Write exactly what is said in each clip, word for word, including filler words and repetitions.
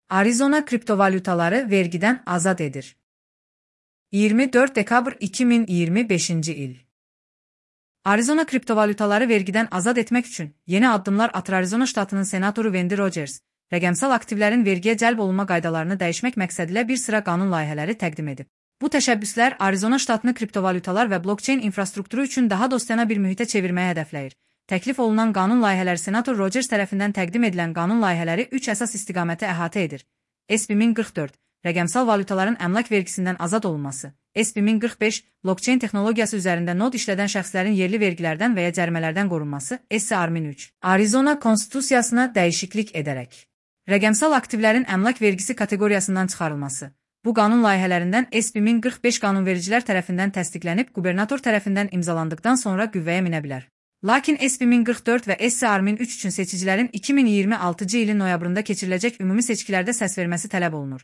Arizona kriptovalyutaları vergiden azad edir. iyirmi dört dekabr iki min iyirmi beşinci il. Arizona kriptovalyutaları vergiden azad etmek üçün yeni addımlar atır. Arizona ştatının senatoru Wendy Rogers, rəqəmsal aktivlərin vergiyə cəlb olunma qaydalarını dəyişmək məqsədilə bir sıra qanun layihələri təqdim edib. Bu təşəbbüslər Arizona ştatını kriptovalyutalar və blockchain infrastrukturu üçün daha dostyanə bir mühitə çevirməyə hədəfləyir. Təklif olunan qanun layihələri senator Rogers tərəfindən təqdim edilən qanun layihələri üç əsas istiqaməti əhatə edir. S B min qırx dörd, rəqəmsal valyutaların əmlak vergisindən azad olunması. S B min qırx beş, blockchain texnologiyası üzərində nod işlədən şəxslərin yerli vergilərdən və ya cərimələrdən qorunması. S R min üç, Arizona konstitusiyasına dəyişiklik edərək rəqəmsal aktivlərin əmlak vergisi kateqoriyasından çıxarılması. Bu qanun layihələrindən S B min qırx beş qanunvericilər tərəfindən təsdiqlənib, qubernator tərəfindən imzalandıqdan sonra qüvvəyə minə bilər. Lakin S B min qırx dörd və S R min üç üçün seçicilərin iki min iyirmi altıncı ilin noyabrında keçiriləcək ümumi seçkilərdə səs verməsi tələb olunur.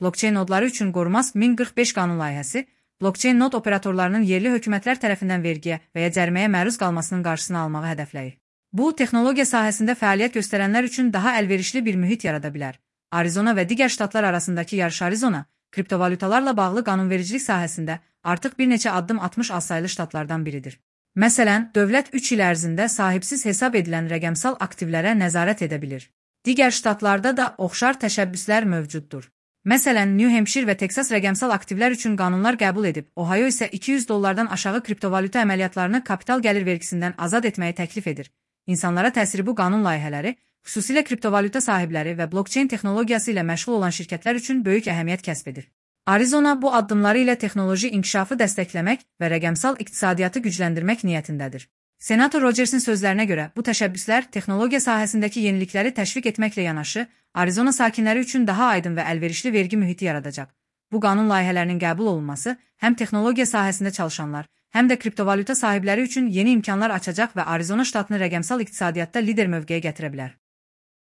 Blockchain nodları üçün qorunmaz min qırx beş qanun layihəsi, blockchain nod operatorlarının yerli hökumətlər tərəfindən vergiyə və ya cəriməyə məruz qalmasının qarşısını almağı hədəfləyir. Bu, texnologiya sahəsində fəaliyyət göstərənlər üçün daha əlverişli bir mühit yarada bilər. Arizona və digər ştatlar arasındakı yarış. Arizona, kriptovalyutalarla bağlı qanunvericilik sahəsində artıq bir neçə addım atmış azsaylı ştatlardan biridir. Məsələn, dövlət üç il ərzində sahibsiz hesab edilən rəqəmsal aktivlərə nəzarət edə bilir. Digər ştatlarda da oxşar təşəbbüslər mövcuddur. Məsələn, New Hampshire və Texas rəqəmsal aktivlər üçün qanunlar qəbul edib, Ohio isə iki yüz dollardan aşağı kriptovalyuta əməliyyatlarını kapital gəlir vergisindən azad etməyi təklif edir. İnsanlara təsiri bu qanun layihələri, xüsusilə kriptovalyuta sahibləri və blockchain texnologiyası ilə məşğul olan şirkətlər üçün böyük əhəmiyyət kəsb edir. Arizona bu addımları ilə texnoloji inkişafı dəstəkləmək və rəqəmsal iqtisadiyyatı gücləndirmək niyyətindədir. Senator Rogersin sözlərinə görə, bu təşəbbüslər texnologiya sahəsindəki yenilikləri təşviq etməklə yanaşı, Arizona sakinləri üçün daha aydın və əlverişli vergi mühiti yaradacaq. Bu qanun layihələrinin qəbul olunması həm texnologiya sahəsində çalışanlar, həm də kriptovalyuta sahibləri üçün yeni imkanlar açacaq və Arizona ştatını rəqəmsal iqtisadiyyatda lider mövqeyə gətirə bilər.